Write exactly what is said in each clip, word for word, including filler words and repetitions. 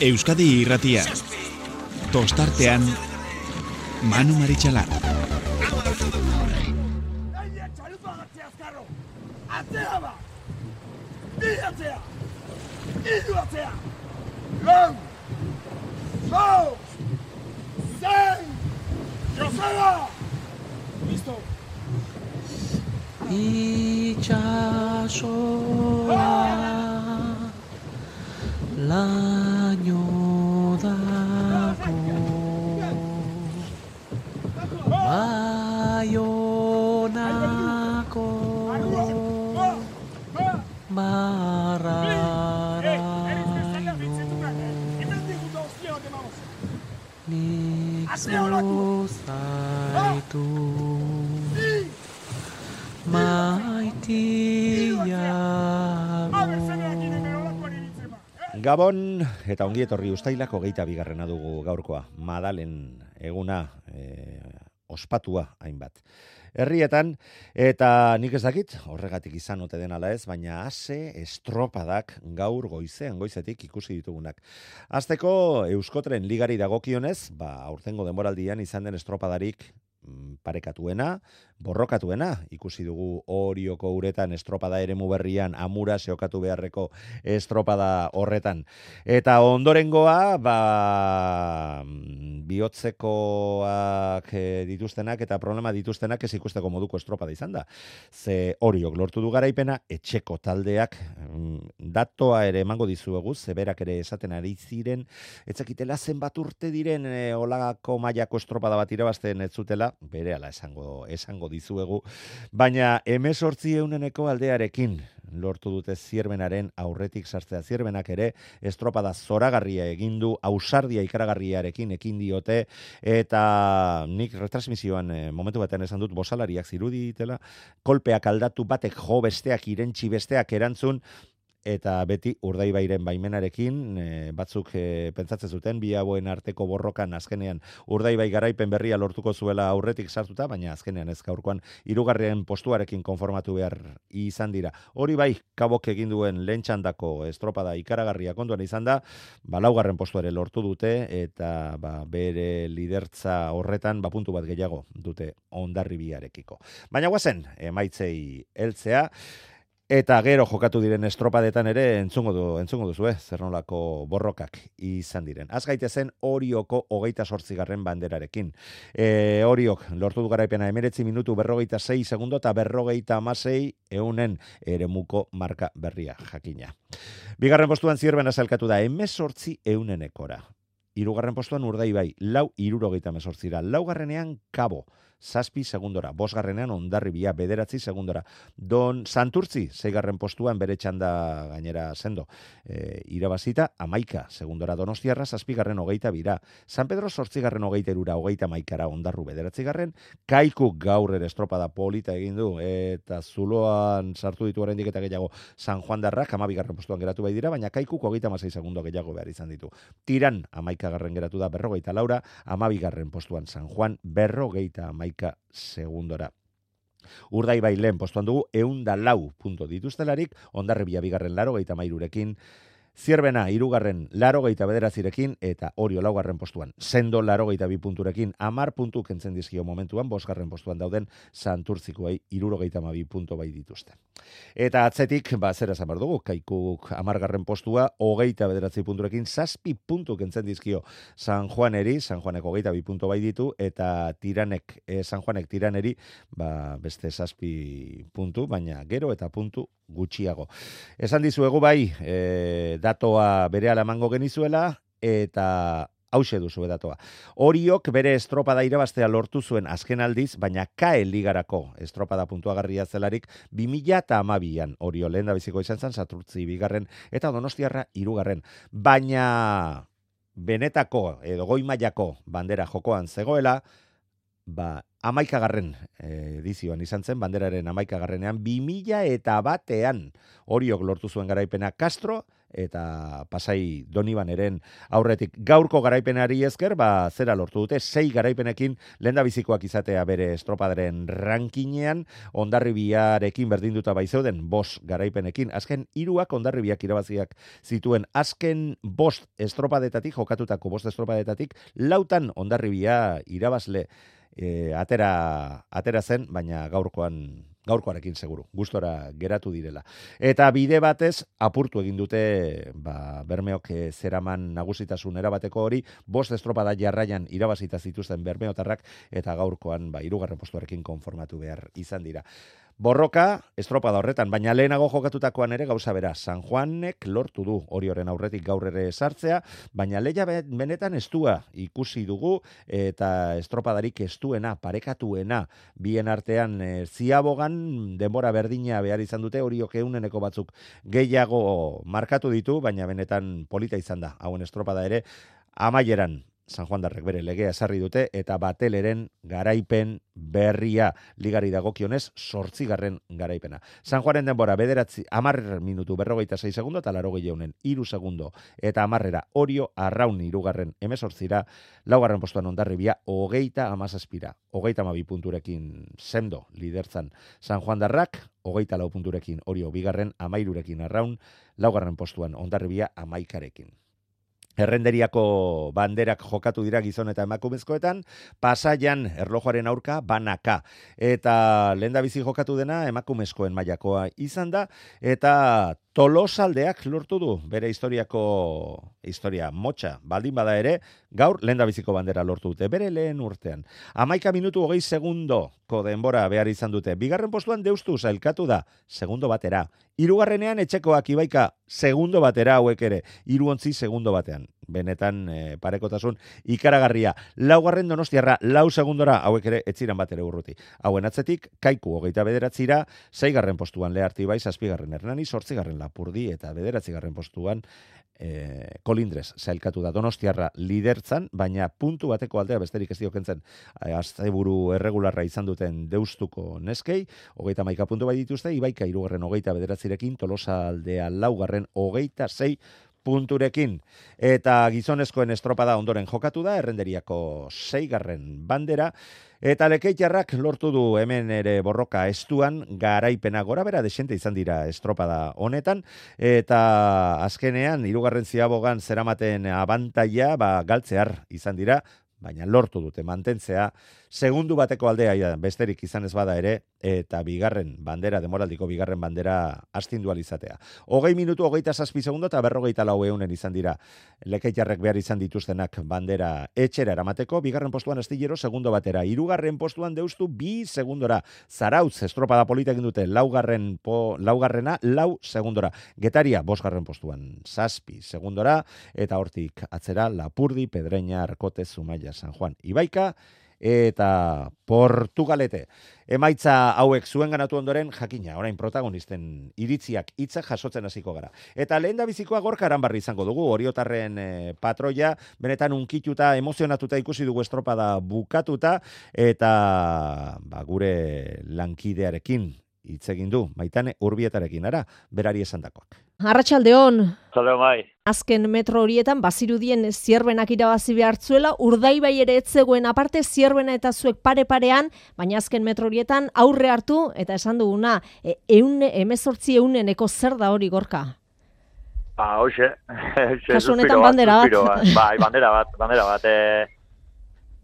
Euskadi Irratia. Tostartean Manu Maritxalar. Atzea ba! Bi atzea! Hiru atzea! Lau! Lau! Sei! Joseba! Listo! Itxasoa laino dako Baionako mararaino nik zuzaitu maitiago. Gabon eta ongi etorri Uztailak hogeita bigarrena dugu gaurkoa. Madalen eguna e, ospatua hainbat herrietan, eta nik ez dakit, horregatik izan ote den ala ez, baina ase estropadak gaur goizean, goizetik ikusi ditugunak. Hasteko Euskotren ligari dagokionez, ba, aurtengo denboraldian izan den estropadarik parekatuena, borrokatuena, ikusi dugu Orioko uretan estropada eremu berrian amura seokatu beharreko estropada horretan. Eta ondorengoa, ba, bihotzekoak dituztenak eta problema dituztenak ez ikusteko moduko estropada izan da. Ze Oriok lortu du garaipena, etxeko taldeak datoa ere emango dizuegu, zeberak ere esaten ari ziren, etzakitela zenbat urte diren e, olagako mailako estropada bat irabazten ez zutela, berehala esango, esango dizuegu, baina hemezortzi euneneko aldearekin lortu dute Zierbenaren aurretik sartzea. Zierbenak ere estropada zoragarria egin du, ausardia ikaragarriarekin ekin diote, eta nik retransmisioan e, momentu batean esan dut bosalariak ziruditela, kolpeak aldatu batek jo besteak irentsi besteak erantzun, eta beti Urdaibairen baimenarekin, e, batzuk e, pentsatzen zuten, bi hauen arteko borrokan azkenean Urdaibai garaipen berria lortuko zuela aurretik sartuta, baina azkenean ez gaurkoan hirugarren postuarekin konformatu behar izan dira. Hori bai, Kabok egin duen lehen txandako estropada ikaragarria kontuan izan da, ba, laugarren postuare lortu dute, eta ba, bere lidertza horretan ba, puntu bat gehiago dute Hondarribiarekiko. Baina guazen, emaitzei heltzea, eta gero jokatu diren estropadetan ere entzungo du, entzungo duzu, eh? Zer nolako borrokak izan diren. Az gaitezen Orioko hogeita zortzigarren banderarekin. E, Oriok lortu du garaipena hemeretzi minutu berrogeita sei segundo eta berrogeita hamasei eunen eremuko marka berria jakina. Bigarren postuan Zierbena sailkatu da hemezortzi eunenekora. Hirugarren postuan Urdaibai, lau hirurogeita hemezortzira. Laugarrenean Kabo, zazpi segundora. Bosgarrenean Hondarribia, bederatzi segundora. Don Santurtzi, zeigarren postuan bere txanda gainera sendo. E, irabazita, amaika segundora. Donostiarra, zazpigarren hogeita bira. San Pedro zortzigarren hogeita erura, hogeita maikara Hondarru bederatzigarren. Kaiku gaur ere estropada polita egin du, eta zuloan sartu ditu oraindik eta gehiago San Juan darrak, amabigarren postuan geratu bai dira, baina Kaikuk hogeita hamasei segundo gehiago behar izan ditu. Tiran, amaikagarren geratu da berrogeita laura, amabigarren postuan San Juan, berrogeita amaika segundora. Urdaibai lehen postuan dugu, eunda lau punto dituztelarik, Hondarribia bigarren larogeita mairurekin, Zierbena hirugarren larogeita bederazirekin, eta Orio laugarren postuan. Sendo larogeita bi punturekin, amar puntu kentzen dizkio momentuan, bosgarren postuan dauden Santurtzikoei hirurogeita hamabi puntu bai dituzte. Eta atzetik, ba, zer esan behar dugu, Kaikuk amargarren postua, hogeita bederatzi punturekin, zazpi puntu kentzen dizkio San Juaneri, San Juanek hogeita bi puntu bai ditu, eta tiranek, eh, San Juanek tiraneri, ba, beste zazpi puntu, baina gero eta puntu gutxiago. Esan dizuegu bai, e, datoa berehala emango genizuela, eta hauxe duzu datoa. Oriok bere estropada irabaztea lortu zuen azken aldiz, baina Kae ligarako estropada puntuagarria zelarik bi mila hamabian. Orio lehen da biziko izan zen, Santurtzi bigarren eta Donostiarra hirugarren. Baina benetako edo goi mailako bandera jokoan zegoela, ba, amaikagarren edizioan izan zen, banderaren amaikagarrenean, bi mila eta batean Oriok lortu zuen garaipena Castro eta Pasai Donibaneren aurretik. Gaurko garaipenari esker, ba, zera lortu dute, sei garaipenekin lehendabizikoak izatea bere estropadaren rankinean, Hondarribiarekin berdinduta baizeuden, bost garaipenekin, azken hiruak Hondarribiak irabaziak zituen, azken bost estropadetatik, jokatutako bost estropadetatik, lautan Hondarribia irabazle e, atera, atera zen, baina gaurkoan gaurkoarekin seguru, gustora geratu direla. Eta bide batez, apurtu egin dute, ba, Bermeok e, zeraman nagusitasun erabateko hori, bost estropada jarraian irabazita zituzten bermeotarrak, eta gaurkoan, ba, hirugarren postuarekin konformatu behar izan dira. Borroka, estropada horretan, baina lehenago jokatutakoan ere gauza bera, San Juanek lortu du hori horren aurretik gaur ere sartzea, baina leia benetan estua ikusi dugu, eta estropadarik estuena, parekatuena, bien artean e, ziabogan denbora berdina behar izan dute, horiok euneneko batzuk gehiago markatu ditu, baina benetan polita izan da, hauen estropada ere, amaieran, San Juandarrek bere legea esarri dute, eta Bateleren garaipen berria ligari dagokionez, zortzigarren garaipena. San Juanen denbora bederatzi, amarrer minutu berrogeita sei segundo, eta larogei jaunen iru segundo, eta amarrera Orio Arraun irugarren emezortzira, laugarren postuan Hondarribia, hogeita amazazpira, hogeita amabi punturekin sendo lidertzan San Juandarrak, hogeita lau punturekin Orio bigarren, amairurekin Arraun, laugarren postuan Hondarribia amaikarekin. Errenderiako banderak jokatu dira gizon eta emakumezkoetan, Pasaian erlojuaren aurka banaka. Eta lehendabizi jokatu dena emakumezkoen mailakoa izan da, eta Tolosaldeak lortu du bere historiako historia motxa baldin bada ere, gaur lehendabiziko bandera lortu dute, bere lehen urtean. Hamaika minutu hogei segundoko denbora behar izan dute. Bigarren postuan Deustu sailkatu da, segundo batera. Hirugarrenean etxekoak Ibaika, segundo batera hauek ere, hiruontzi segundo batean. Benetan e, parekotasun ikaragarria. Laugarren Donostiarra, lau segundora hauek ere etziran bat ere urruti. Hauen atzetik, Kaiku hogeita bederatzira, zeigarren postuan Leharti bai, zazpigarren Hernani, zortzigarren Lapurdi eta bederatzigarren postuan e, Kolindrez sailkatu da Donostiarra lidertzan, baina puntu bateko aldea besterik ez diokentzen asteburu erregularra izan duten Deustuko neskei, hogeita maika puntu bai dituzte, Ibaika hirugarren hogeita bederatzirekin, Tolosa aldea laugarren hogeita sei punturekin. Eta gizonezkoen estropada ondoren jokatu da, Errenderiako seigarren bandera, eta Lekeitarrak lortu du hemen ere borroka estuan, garaipena gora bera desente izan dira estropada honetan, eta azkenean, hirugarren ziabogan zeramaten abantaia, ba, galtzear izan dira, baina lortu dute mantentzea, segundu bateko aldea besterik izan ez bada ere, eta bigarren bandera, demoraldiko bigarren bandera astindu alizatea. Hogei minutu, hogeita zazpi segundo, eta berrogeita lau eunen izan dira Lekeitarrek behar izan dituztenak bandera etxera eramateko, bigarren postuan Astillero, segundo batera, hirugarren postuan Deustu, bi segundora, Zarautz, estropada polita egin dute, laugarren po, laugarrena, lau segundora, Getaria, bosgarren postuan, zazpi segundora, eta hortik atzera, Lapurdi, Pedreña, Arkote, Zumaia, San Juan, Ibaika, eta Portugalete. Emaitza hauek zuen ganatu ondoren, jakina, orain protagonisten iritziak hitzak jasotzen hasiko gara. Eta lehen da bizikoa Gorka Aranbarri izango dugu, Oriotarren e, patroia, benetan unkituta, emozionatuta ikusi dugu estropada bukatuta, eta ba, gure lankidearekin hitz egin du, Maitane Urbietarekin, ara, berari esandakoak. Arratsaldeon. Arratsaldeon bai. Azken metro horietan bazirudien Zierbenak irabazi behartzuela, Urdaibai ere ez zegoen aparte Zierbena eta zuek pare-parean, baina azken metro horietan aurre hartu eta esan duguna, e, eun, emezortzi euneneko zer da hori Gorka? Ba, hoxe. Kasu honetan bandera bat. Bai, bandera bat, bandera bat. E,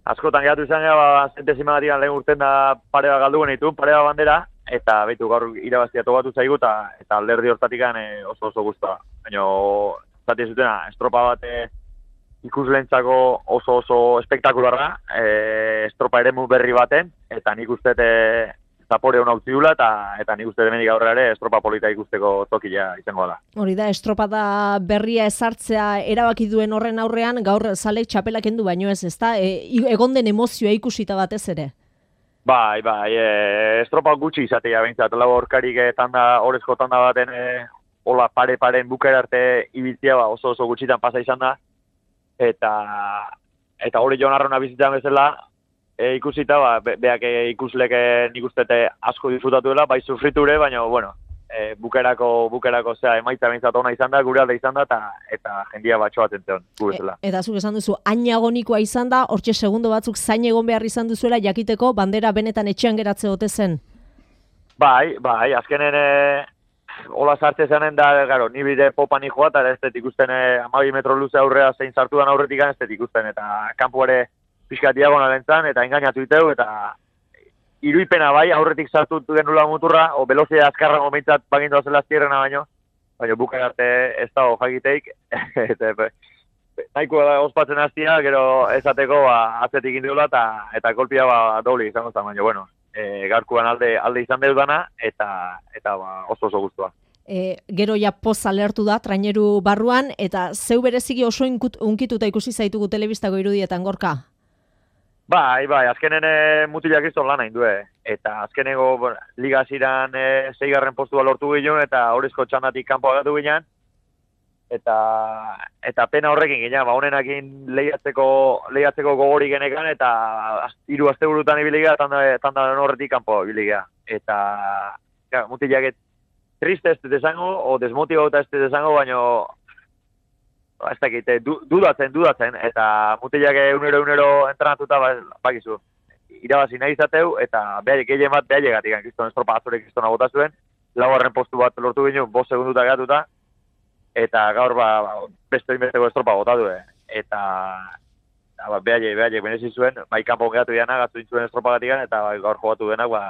askotan geratu izan gara, ba, zentesima gatikan lehen urten da pare bat galdu genitu, pare bat bandera, eta betu gaur irabazia tokatu zaigu, eta, eta alderdi hortatikan e, oso oso guztua. Baina, zati zutena, estropa bat e, ikuslentzako oso oso espektakularra, e, estropa eremu berri baten, eta nik uste e, zapore hona utzi dula, eta, eta nik uste demenik aurrera ere estropa polita ikusteko tokila izango da. Hori da, estropada berria ezartzea erabaki duen horren aurrean, gaur zalek txapelak endu baino ez, ezta? E, egon den emozioa ikusita batez ere. Bai, bai, e, estropa gutxi izatea behintzat, lau horkarik e, tanda, orezko tanda baten e, hola pare-paren bukera arte ibiltzea ba, oso oso gutxitan pasa izan da, eta eta hori Jon Arrauna bizitzen bezala, e, ikusita, ba, be, beak e, ikuslek nik ustete asko disfrutatuela, bai sufriture, baina, bueno, e, bukerako, bukerako zea, emaitza bintzat ona izan da, gure alde izan da, eta, eta jendia batxo bat entzen, gu bezala. E, eta zuk esan duzu, ainagonikoa izan da, hortxe segundo batzuk zain egon behar izan duzuela, jakiteko bandera benetan etxean geratze ote zen? Bai, bai, azkenen e, hola sartze zanen da, garo, ni bide popan joa, eta ez dut ikusten e, amabi metro luze aurrea zein sartu dan aurretik ez dut ikusten, eta kanpuare pixka diagonalen zan, eta engainatu iteu, eta iruipena bai, aurretik sartu genula muturra, o velozia azkarra momentzat bagindu zela aztierrena baino, baina bukan arte ez dago jakiteik, eta nahiko da ospatzen hastia, gero esateko ba, atzetik indiola, eta, eta kolpia ba, dobli izango zen, baina, bueno, e, gaurkuan alde, alde izan deudana, eta, eta ba, oso oso guztua. E, gero ja poz alertu da, traineru barruan, eta zeu bereziki oso inkut, unkituta ikusi zaitugu telebistako irudietan, Gorka? Bai, bai, azkenen e, mutilak izan lan hain due. Eta azkenego bueno, liga ziran e, zeigarren postua lortu ginen, eta horrezko txandatik kanpo agatu ginen. Eta, eta pena horrekin ginen, ba, honenakin lehiatzeko, lehiatzeko gogori genekan, eta hiru aste burutan ibiliga, tanda, tanda horretik kanpo ibiliga. Eta ja, mutilak triste ez dut esango, o desmotibauta ez dut esango, baino ez dakit, du, dudatzen, dudatzen, eta mutilak egunero, egunero entrenatuta, ba, bakizu, irabazi nahi izateu, eta behar gehien bat behar llegatik, kriston estropa azurek kristona bota zuen, laugarren postu bat lortu ginen, bost segunduta gehatuta, eta gaur ba, beste inbesteko estropa bota du, eta ba, behar behar benezi zuen, bai kanpon gehatu diana, gatu dintzuen estropa gatikan, eta ba, gaur jogatu denak, ba,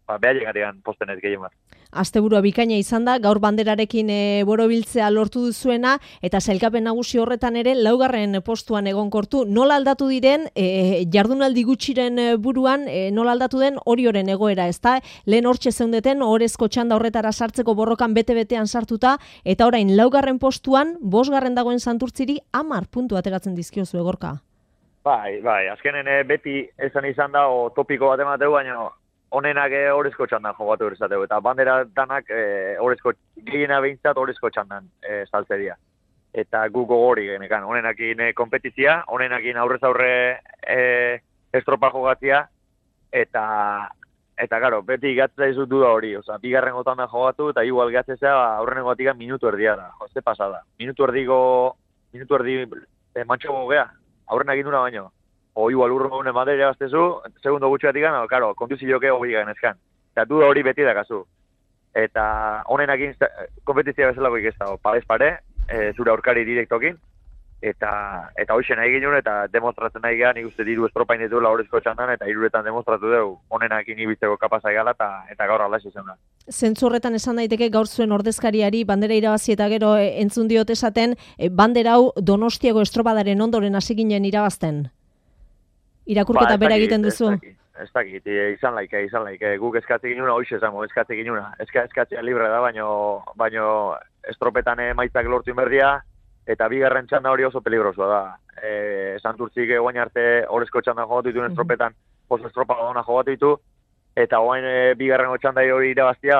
ba, behar llegatik posten ez gehien bat. Asteburua bikaina izan da, gaur banderarekin e, borobiltzea lortu duzuena, eta sailkapen nagusi horretan ere laugarren postuan egonkortu. Nola aldatu diren, e, jardunaldi gutxiren buruan, e, nola aldatu den Orioren egoera, ezta? Lehen hortxe zeundeten, orezko txanda horretara sartzeko borrokan bete-betean sartuta, eta orain laugarren postuan, bosgarren dagoen Santurtziri, hamar puntu ateratzen dizkiozu Gorka. Bai, bai, azkenen e, beti esan izan da, o topiko bat emateu, baina honenak horrezko txandan jogatu erizateu, eta bandera danak horrezko, e, gehiena behintzat horrezko txandan e, saltzeria. Eta gu gogori genekan, honenakin e, kompetizia, honenakin aurrez aurre e, estropa jogatzia, eta, eta garo, beti gatzea izut duda hori, oza, bigarren gotan da jogatu, eta igual gatzea aurrenen gotika minutu erdia da, jozte pasada. Minutu erdiko, minutu erdi e, mantxo gogea, aurrenak induna baino. O igual urro gune madera baztezu, segundo gutxeatik gana, karo, kontuzioke hori ganezkan. Eta duda hori beti dakazu. Eta honenakin kompetizia bezalako ikestau, pales pare, e, zure aurkari direktokin, eta eta hoxe nahi ginen, eta demostratzen nahi gehan, nik uste diru estropain ditula horrezko txandan, eta iruretan demostratu dugu, honenakin ibitzeko kapazai gala, eta, eta gaur alaxe zen da. Zentzu horretan esan daiteke gaur zuen ordezkariari bandera irabazi eta gero e, entzun diot esaten, e, bandera hau Donostiako estropadaren ondoren hasi ginen irabazten. Irakurketa ba, bera egiten duzu? Ez dakit, izan laike, izan laike. Guk eskatze ginuna, hoxe esango, eskatze ginuna. Eska, eskatzea libre da, baino, baino estropetan emaitzak lortu inberdia, eta bigarren txanda hori oso peligrosua da. E, Santurtzik egoain arte horrezko txanda jogatu dituen estropetan, oso estropa gona jogatu ditu, eta oain e, bigarren txanda hori irabaztia,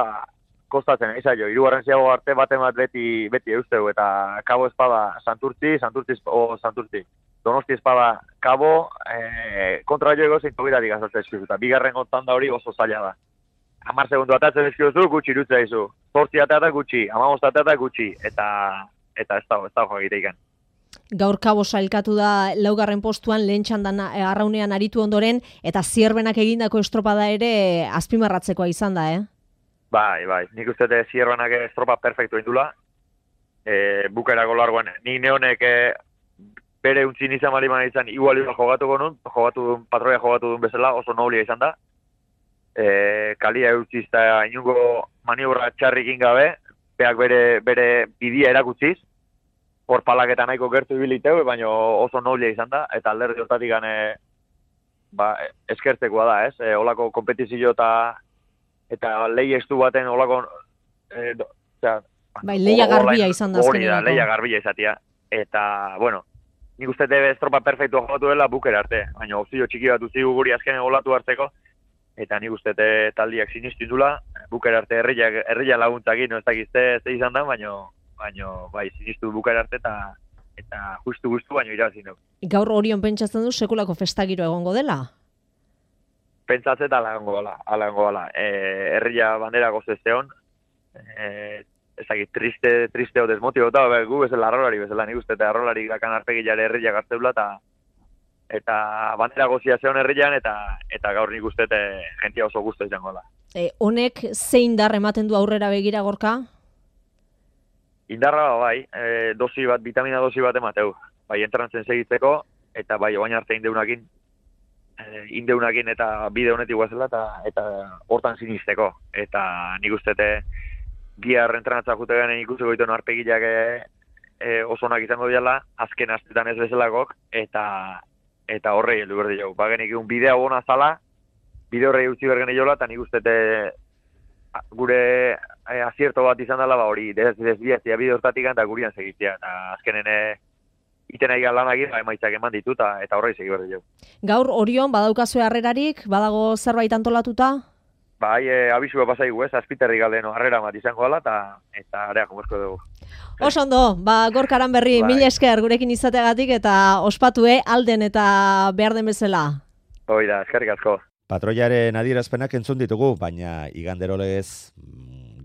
kostatzen, izaio, hirugarren ziago arte baten bat beti, beti eusteu, eta kabo espada Santurtzi, Santurtzi, o Santurtzi. Donosti espada kabo, e, kontra joego zein togitatik azaltzen eskiozu, eta bigarren gontan da hori oso zaila da. Hamar segundu atatzen eskiozu, gutxi irutzea izu. Zortzi atatak gutxi, hamabost atatak gutxi, eta eta ez dago, ez dago egiteikan. Gaur kabo sailkatu da laugarren postuan, lehen txandan arraunean aritu ondoren, eta zierbenak egindako estropada ere azpimarratzekoa izan da, eh? Bai, bai, nik uste dut zierbenak estropa perfektu indula. E, bukaerako largoan, nik neonek e, bere untzin izan bali mana izan, igual jogatuko nun, jogatu duen, patroia jogatu duen bezala, oso noblia izan da. E, kalia eutxizta inungo maniobra txarrikin gabe, beak bere, bere bidia erakutziz, hor palaketa nahiko gertu ibiliteu, baina oso noblia izan da, eta alderdi hortatik gane, ba, eskertzekoa da, ez? E, olako kompetizio eta eta lehi estu baten olako... E, do, zera, bai, leia garbia izan da azkenean. Hori da, leia garbia izatia. Eta, bueno, nik uste debe estropa perfektua jogatu dela bukera arte, baina opzio txiki bat uzigu guri azkenen olatu hartzeko, eta nik uste taldiak sinistu indula, bukera arte herria, herria laguntzakin, no ez dakizte ze izan da, baina, baina bai, sinistu bukera arte eta eta justu guztu baino irabazi dugu. Gaur Orion pentsatzen du sekulako festagiro egongo dela? Pentsatzen ala egongo dela, ala egongo dela. E, herria bandera gozesteon, e, ezagit, triste, triste o desmotibota, gu bezala arrolari bezala, nik uste, eta arrolari gakan arpegilare herriak hartzeula, eta eta bandera gozia zeon herrian, eta eta gaur nik uste, jentia oso guztu izango da. E, honek zein dar ematen du aurrera begira, Gorka? Indarra bai, e, dosi bat, vitamina dosi bat emateu, bai entrantzen segitzeko, eta bai oain arte indeunakin, e, indeunakin eta bide honetik guazela, eta, eta hortan sinisteko. Eta nik uste, bihar entranatza jute garen ikusiko dituen arpegileak e, e, oso onak izango diala, azken astetan ez bezalakok, eta eta horrei heldu berdi jau. Bagenik egun bidea bona zala, bide horrei utzi bergen eiola, eta nik uste gure e, azierto bat izan dela, ba hori, desbiazia bide hortatik eta gurian segitzea, eta azkenen e, iten aigan lanagin, ba, emaitzak eman ditu, eta, eta horrei segi berdi jau. Gaur Orion, badaukazue harrerarik, badago zerbait antolatuta? Bai, e, abisua pasaigu ez, azpiterri galdeno harrera bat izango dela, eta eta area komerko dugu. Oso ondo, ba, Gorka Aranberri, bai. Mila esker gurekin izateagatik, eta ospatue alden eta behar den bezala. Hoi da, eskerrik asko. Patroiaren adierazpenak entzun ditugu, baina iganderolez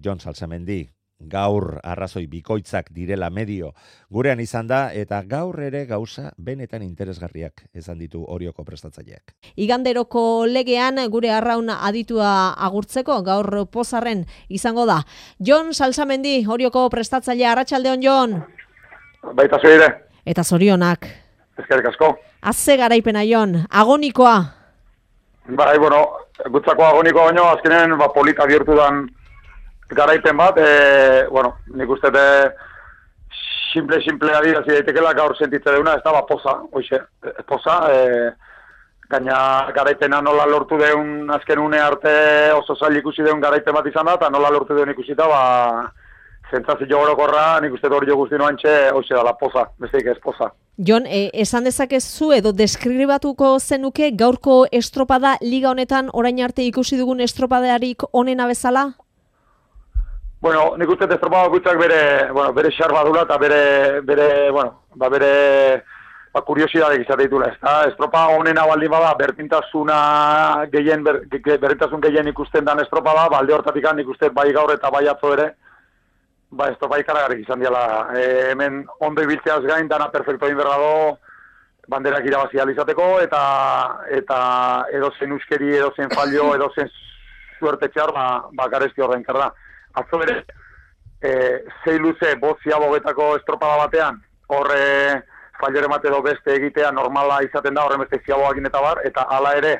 Jon Salsamendi gaur arrazoi bikoitzak direla medio gurean izan da, eta gaur ere gauza benetan interesgarriak esan ditu Orioko prestatzaileak. Iganderoko legean gure arraun aditua agurtzeko gaur pozarren izango da. Jon Salsamendi, Orioko prestatzailea, arratsaldeon Jon. Baita zuire. Eta zorionak. Eskerrik asko. Azze garaipena Jon, agonikoa. Bai, bueno, gutzako agonikoa baino, azkenen ba, polita bihurtu dan garaipen bat, e, bueno, nik uste de simple-simple adirazi daitekela gaur sentitze deuna, ez da, ba, poza, oixe, poza, e, gaina garaipena nola lortu deun azken une arte oso zail ikusi deun garaipen bat izan da, eta nola lortu deun ikusita, ba, zentzazio orokorra, nik uste hori jo guzti noantxe, oixe da, la poza, besteik ez poza. Jon, e, esan dezakezu edo deskribatuko zenuke gaurko estropada liga honetan orain arte ikusi dugun estropadearik onena bezala? Bueno, nik uste estropada bakoitzak bere, bueno, bere xar badula eta bere, bere, bueno, ba bere ba, kuriosidadek izate ditula, ez da? Estropa honena baldin bada, berdintasuna gehien, ber, berdintasun gehien ikusten dan estropada, balde hortatik nik uste bai gaur eta bai atzo ere, ba, estropa ikaragarrik izan diala. E, hemen ondo ibiltzeaz gain, dana perfecto inberrado, banderak irabazi izateko, eta, eta edozen uskeri, edozen fallo, edozen suertetxear, ba, ba garesti horrein karda. Atzo bere, e, zei luze, bozia bogetako estropada batean, horre fallore mate edo beste egitea normala izaten da, horre beste ziaboak eta bar, eta hala ere,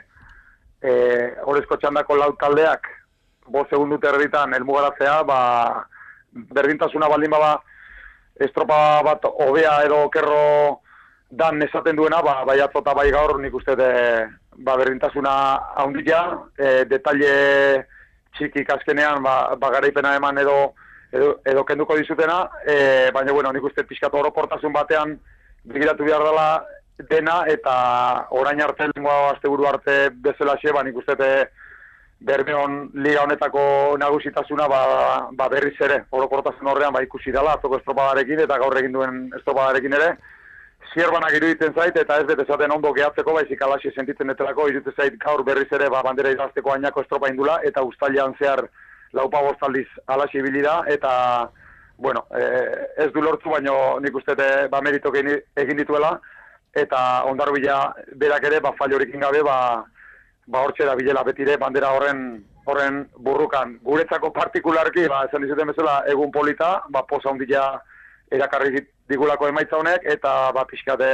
e, horrezko txandako lau taldeak, bost segundut erditan elmugaratzea, ba, berdintasuna baldin bada, estropada bat hobea edo okerro dan esaten duena, ba, bai atzo eta bai gaur nik uste de, ba, berdintasuna haundia, e, detalle txikik azkenean ba, ba garaipena eman edo, edo, edo kenduko dizutena, e, baina bueno, nik uste pixkatu orokortasun batean begiratu behar dela dena, eta orain arte, lengua asteburu arte bezala xe, ba nik uste Bermeon liga honetako nagusitasuna ba, ba berriz ere, orokortasun horrean ba ikusi dela, atzoko estropadarekin eta gaur egin duen estropadarekin ere, zierbanak iruditzen zait, eta ez bete zaten ondo gehatzeko, baizik alaxi sentitzen etelako, iruditzen zait gaur berriz ere ba, bandera idazteko ainako estropa indula, eta ustailean zehar laupa bostaldiz alaxi ibili da, eta, bueno, eh, ez du lortzu, baino nik uste ba, meritok egin dituela, eta ondarbila berak ere, ba, fallorikin gabe, ba, ba hortxe da bilela betire bandera horren horren burrukan. Guretzako partikularki, ba, esan dizuten bezala, egun polita, ba, posa ondila erakarri digulako emaitza honek, eta ba, pixkate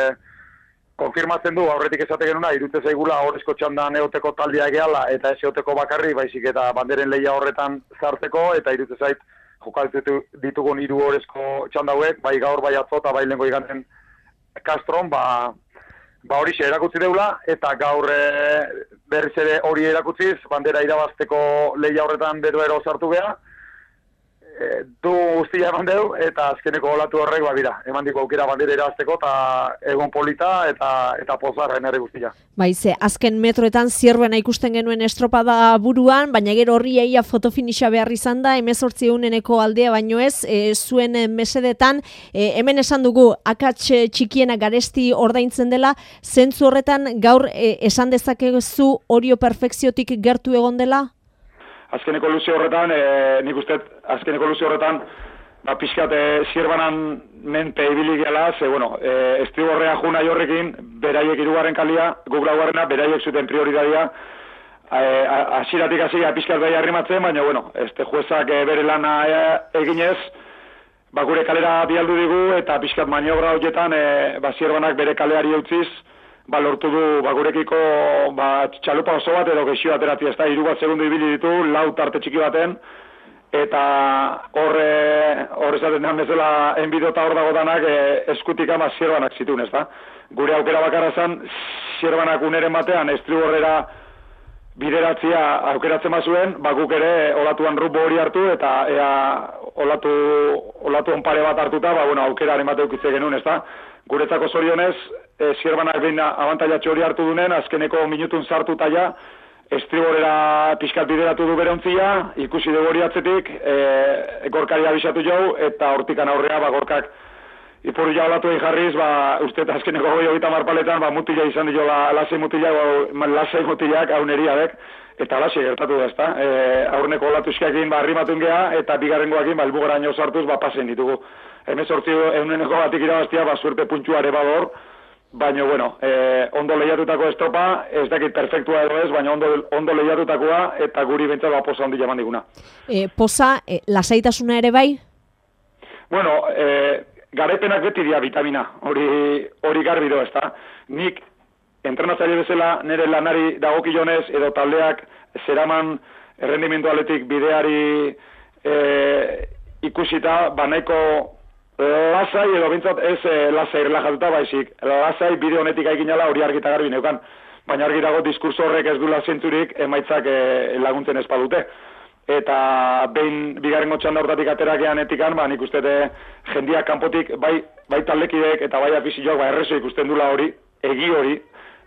konfirmatzen du, aurretik esate genuna, irutze zaigula horrezko txandan eoteko taldea egeala, eta ez eoteko bakarri, baizik eta banderen lehia horretan zarteko, eta irutze zait jokaltu ditugun hiru horrezko txandauek, bai gaur, bai atzo, eta bai lengo iganten Castron, ba, ba hori xe erakutsi deula, eta gaur e, berriz ere hori erakutziz, bandera irabazteko lehia horretan beroero sartu beha, e, du guztia eman deu, eta azkeneko olatu horrek, ba bira, eman diko aukera bandera irabazteko, eta egon polita, eta eta pozarra enere guztia. Baize, azken metroetan zierbena ikusten genuen estropada buruan, baina gero horri eia fotofinixa behar izan da, emezortzi euneneko aldea baino ez, e, zuen mesedetan, e, hemen esan dugu, akats txikiena garesti ordaintzen dela, zentzu horretan gaur e, esan dezakezu Orio perfekziotik gertu egon dela? azkeneko luze horretan, e, nik uste, azkeneko luze horretan, ba, pixkat, e, zierbanan menpe ibili gela, ze, bueno, e, estriborrea juna jorrekin, beraiek hirugarren kalia, guk laugarrena, beraiek zuten prioritatea, hasiratik hasi pixkat bai arrimatzen, baina, bueno, este juezak e, bere lana e, eginez, ba, gure kalera bialdu digu, eta pixkat maniobra horietan, e, ba, zierbanak bere kaleari eutziz, ba, lortu du, ba, gurekiko, ba, txalupa oso bat edo gexio aterati, ez da, hiru bat segundu ibili ditu, lau tarte txiki baten, eta horre, horre esaten den bezala enbido eta hor dagotanak e, eskutik ama zierbanak zituen, ez da. Gure aukera bakarra zen, zierbanak uneren batean, estriborrera bideratzia aukeratzen bazuen, bakuk ere olatuan rubo hori hartu, eta ea olatu, olatu onpare bat hartuta, ba, bueno, aukeraren bat eukitze genuen, ez da. Guretzako zorionez, e, zierbanak behin abantailatxo hori hartu dunen, azkeneko minutun sartuta ja, estriborera pixkat bideratu du bere ontzia, ikusi dugu hori atzetik, e, gorkari abisatu jau, eta hortikan aurrea, ba, gorkak ipuru ja olatu egin jarriz, ba, uste eta azkeneko goi hogeita marpaletan, ba, mutila izan dio, la, lasei mutilak, ba, lasei mutilak, hauneriadek, eta lasei gertatu da, ezta. E, aurneko olatuzkiakin, ba, arrimatun geha, eta bigarrengoakin, ba, elbugaraino sartuz, ba, pasen ditugu. Hemen sortzi euneneko batik irabaztia, ba, suerte puntxuare bador, baina, bueno, e, ondo lehiatutako estropa, ez dakit perfektua edo ez, baina ondo, ondo lehiatutakoa, eta guri bentsat ba, posa handi jaman diguna. E, posa, e, lasaitasuna ere bai? Bueno, e, garaipenak beti dia vitamina, hori, hori garbi do, ezta. Nik, entrenatzaile bezala, nire lanari dagokionez, edo taldeak zeraman errendimendu aletik bideari e, ikusita, banaiko lasai edo bintzat ez e, lasai relajatuta baizik. Lasai bide honetik aikinala hori argita garbi neukan. Baina argi dago diskurso horrek ez duela zentzurik emaitzak e, laguntzen espadute. Eta behin bigarrengo txanda hortatik aterakean etikan, ba, nik uste jendiak kanpotik, bai, bai taldekideek eta bai afizioak, ba, errezo ikusten dula hori, egi hori,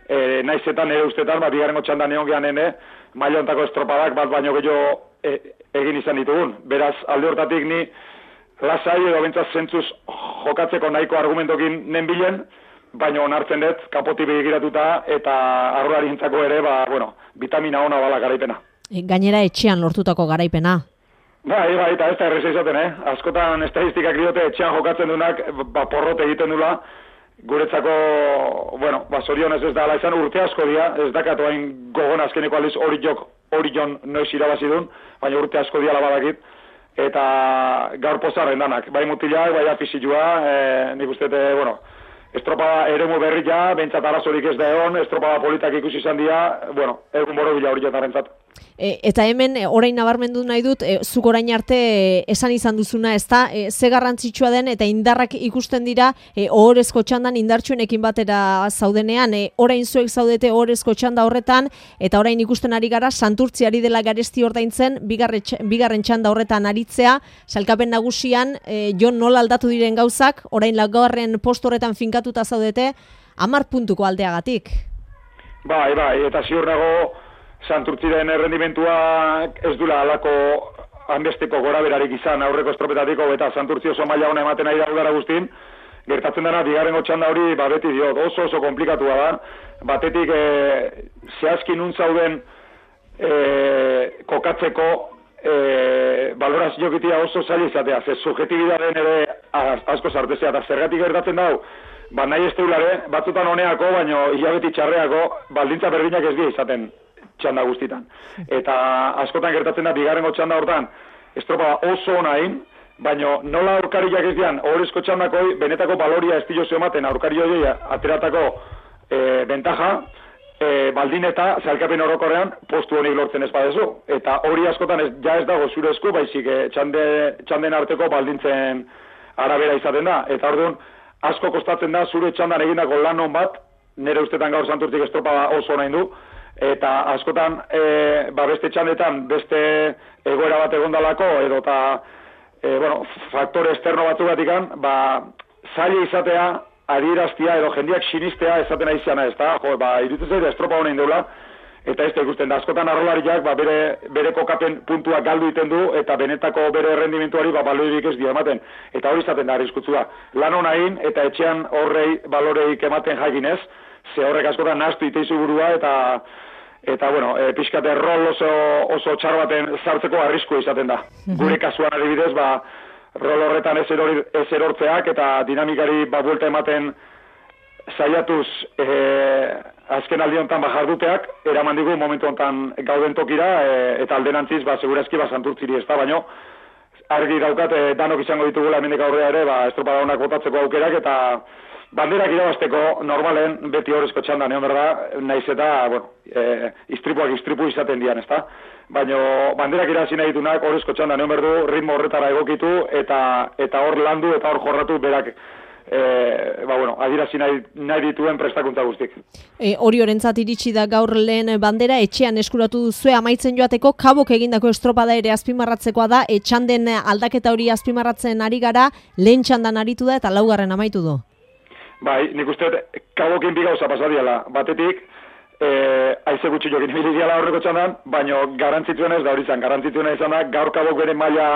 e, naizetan ere ustetan, ba, bigarrengo txanda neon gehan ene, mailontako estropadak bat baino gehiago e, egin izan ditugun. Beraz, alde hortatik ni lasai edo bentsaz zentzuz jokatzeko nahiko argumentokin nenbilen, baina onartzen dut, kanpotik begiratuta eta arroarintzako ere, ba, bueno, vitamina ona bala garaipena. Gainera etxean lortutako garaipena. Bai, bai, eta ez da erreza izaten, eh? Askotan estadistikak diote etxean jokatzen dunak, ba, porrote egiten dula, guretzako, bueno, ba, zorionez ez da ala izan urte asko dia, ez dakatu hain gogon azkeneko aliz hori jok, hori jon noiz irabazidun, baina urte asko dia labadakit, eta gaur pozarren danak, bai mutilak, bai afizioa, e, nik uste, bueno, estropada eremu berri ja, bentsat arazorik ez da egon, estropada politak ikusi izan dira, bueno, egun boro bila hori jatarentzat. E, eta hemen e, orain nabarmendu nahi dut, e, zuk orain arte e, esan izan duzuna, ez da, e, ze garrantzitsua den eta indarrak ikusten dira e, ohorezko txandan indartsuenekin batera zaudenean, e, orain zuek zaudete ohorezko txanda horretan, eta orain ikusten ari gara, Santurtziari dela garesti ordaintzen, bigarre, bigarren txanda horretan aritzea, salkapen nagusian, e, Jon nola aldatu diren gauzak, orain laugarren post horretan finkatuta zaudete, hamar puntuko aldeagatik. Bai, bai, eta ziur nago, Santurtziren errendimentua ez dula alako hanbesteko gora berarik izan aurreko estropetatiko, eta Santurtzi oso maila ona ematen ari da udara guztin, gertatzen dena, bigarrengo txanda hori, ba, beti diot, oso oso komplikatua da, batetik e, zehazki nun zauden e, kokatzeko e, balorazio gitia oso zaila izatea, ze subjetibidaren ere asko sartezea, eta zergatik gertatzen dau, ba, nahi ez teulare, batzutan honeako, baino hilabeti txarreako, baldintza berdinak ez dira izaten txanda guztitan. Eta askotan gertatzen da, bigarrengo txanda hortan, estropa oso onain, baina nola aurkariak ez dian, horrezko txandakoi, benetako baloria ez diozu ematen, aurkari hori ateratako e, bentaja, e, baldin eta zailkapen orokorrean postu honik lortzen ez badezu. Eta hori askotan ez, ja ez dago zure esku, baizik e, txande, txanden arteko baldintzen arabera izaten da. Eta orduan, asko kostatzen da zure txandan egindako lan hon bat, nire ustetan gaur Santurtzik estropa oso onain du, eta askotan e, ba beste txandetan beste egoera bat egondalako edo eta e, bueno, faktore externo batzugatikan, ba zaila izatea, adieraztia edo jendiak sinistea esaten aiziana, ez da, jo, ba iruditzen zaite estropa honein deula, eta ez da ikusten da, askotan arrolariak ba, bere, bere kokapen puntua galdu iten du, eta benetako bere errendimentuari ba, baloreik ez dio ematen, eta hori izaten da arriskutsua. Lan honain, eta etxean horrei baloreik ematen jakinez, ze horrek askotan nahastu iteizu burua, eta eta bueno, e, pixkate rol oso, oso txar baten sartzeko arriskua izaten da. Gure kasuan adibidez, ba, rol horretan ez, erori, ez erortzeak eta dinamikari ba, buelta ematen saiatuz e, azken aldi honetan ba, jarduteak, eraman digu momentu honetan gauden tokira e, eta alderantziz, ba, segurazki ba, santurtziri ez da, baino, argi daukat, e, danok izango ditugula hemendik aurrera ere, ba, estropada honak botatzeko aukerak eta banderak irabazteko normalen beti horrezko txandan, egon berda, naiz eta, bueno, e, istripuak istripu izaten dian, ez da? Baina banderak irabazi nahi ditunak horrezko txandan, egon berdu, ritmo horretara egokitu eta eta hor landu eta hor jorratu berak e, ba, bueno, adirazi nahi, nahi dituen prestakuntza guztik. E, hori orentzat iritsi da gaur lehen bandera, etxean eskuratu duzue amaitzen joateko, kabok egindako estropada ere azpimarratzekoa da, etxanden aldaketa hori azpimarratzen ari gara, lehen txandan aritu da eta laugarren amaitu du. Bai, nik uste kabokin bi gauza pasadiala. Batetik, e, aize gutxi jokin ibilidiala horreko txandan, baina garantzituen ez da hori izan. Garantzituen izan da, gaur kabok bere maila,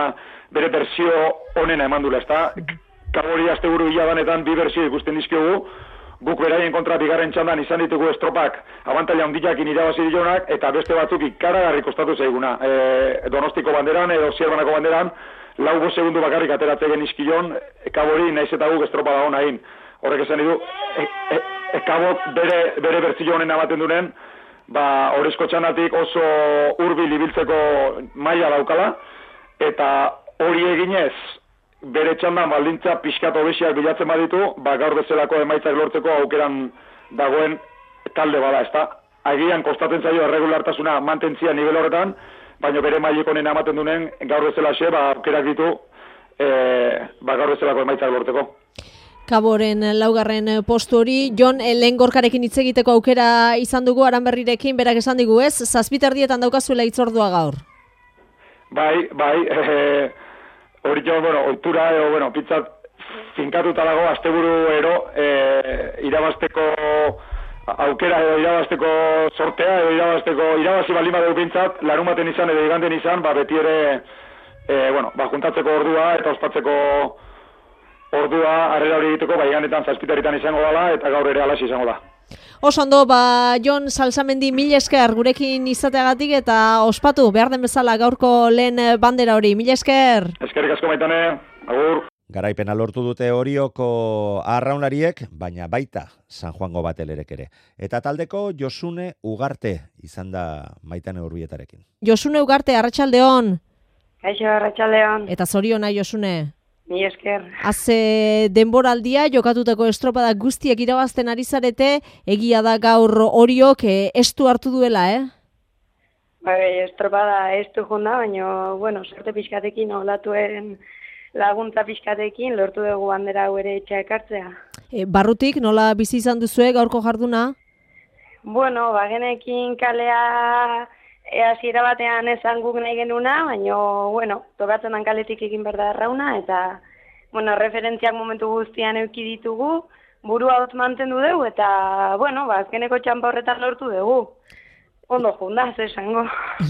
bere berzio onena eman dula, ezta? Kabori asteburu hilabanetan bi berzio ikusten dizkiogu, guk beraien kontra bigarren txandan izan ditugu estropak abantaila handiakin irabazi dionak, eta beste batzuk ikaragarri kostatu zaiguna. E, Donostiko banderan edo Zierbanako banderan, lau bo segundu bakarrik ateratze genizkion, kabori naiz eta guk estropada hona egin. Horrek esan ditu, e, e, e, kabok bere, bere bertzio honen amaten dunen, ba, horrezko txanatik oso hurbil ibiltzeko maila daukala, eta hori eginez, bere txandan baldintza pixkat hobesiak bilatzen baditu, ba, gaur bezalako emaitzak lortzeko aukeran dagoen talde bada, ezta? Agian kostatzen zaio erregulartasuna mantentzia nivel horretan, baina bere mailik honen amaten dunen, gaur bezalaxe, ba, aukerak ditu, e, ba, gaur bezalako emaitzak lortzeko. Kaboren laugarren postu hori, Jon, lehen gorkarekin hitz egiteko aukera izan dugu Aranberrirekin, berak esan digu ez, zazpiterdietan daukazuela hitzordua gaur. Bai, bai, e, hori jo, bueno, oitura, edo, bueno, pitzat finkatuta dago, asteburu ero, e, irabazteko aukera edo irabazteko sortea, edo irabazteko, irabazi baldin badeu pintzat, larumaten izan edo iganten izan, ba, beti ere, e, bueno, ba, juntatzeko ordua eta ospatzeko ordua harrera hori egiteko, bai ganetan zazpitaritan izango dela, eta gaur ere alaxi izango da. Oso ondo, ba, Jon Salsamendi mil esker gurekin izateagatik eta ospatu behar den bezala gaurko lehen bandera hori. Mil esker! Eskerrik asko Maitane, agur! Garaipena lortu dute Orioko arraunlariek, baina baita San Juango Batelerek ere. Eta taldeko Josune Ugarte izan da Maitane Urbietarekin. Josune Ugarte, arratsaldeon. Kaixo, arratsaldeon. Eta zoriona, Josune. Mi esker. Haze denboraldia jokatutako estropada guztiak irabazten ari zarete, egia da gaur Oriok eh, estu hartu duela, eh? Bai, estropada estu jonda, baina, bueno, sorte pixkatekin, olatuen laguntza pixkatekin, lortu dugu bandera hau ere etxea ekartzea. E, barrutik, nola bizi izan duzue gaurko jarduna? Bueno, bagenekin kalea hasiera batean esan guk nahi genuna, baina, bueno, tokatzen dan kaletik egin behar da errauna, eta, bueno, referentziak momentu guztian euki ditugu, burua hotz mantendu dugu, eta, bueno, ba, azkeneko txampa horretan lortu dugu. Ondo junda, ze esango.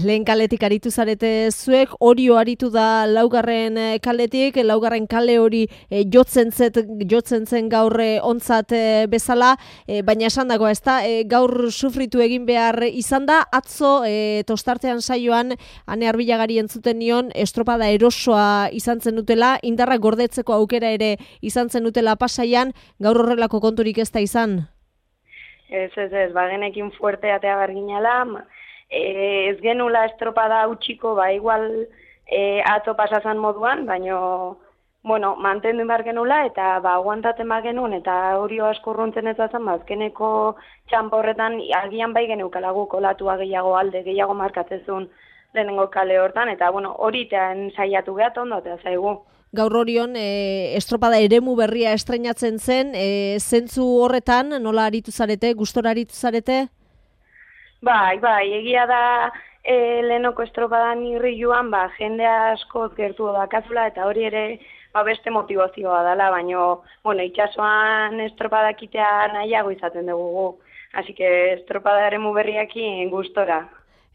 Lehen kaletik aritu zarete zuek, Orio aritu da laugarren kaletik, laugarren kale hori e, jotzen, zet, jotzen zen gaur e, ontzat e, bezala, e, baina esan dago, ez da, e, gaur sufritu egin behar izan da, atzo e, tostartean saioan, Ane Arbilagari entzuten nion, estropada erosoa izan zen dutela, indarra gordetzeko aukera ere izan zen dutela pasaian, gaur horrelako konturik ez da izan? Ez, ez, ez, bagenekin fuerte atea berginala, e, ez genula estropada utxiko, ba, igual e, ato pasazan moduan, baina, bueno, mantendu behar genula, eta, ba, aguantaten behar genuen, eta hori asko urruntzen ez azan, ba, azkeneko txampa horretan, agian bai geneukalagu kolatua gehiago alde, gehiago markatzezun lehenengo kale hortan, eta, bueno, hori tean saiatu gehat ondo, eta zaigu. Gaur Orion, e, estropada eremu berria estreinatzen zen, e, zentzu horretan, nola aritu zarete, gustora aritu zarete? Bai, bai, egia da e, lehenoko estropadan irri joan, ba, jende askoz gertu dakazula, eta hori ere ba, beste motivazioa dela, baina, bueno, itxasoan estropadakitea nahiago izaten dugu. Así que estropada eremu berriakin gustora.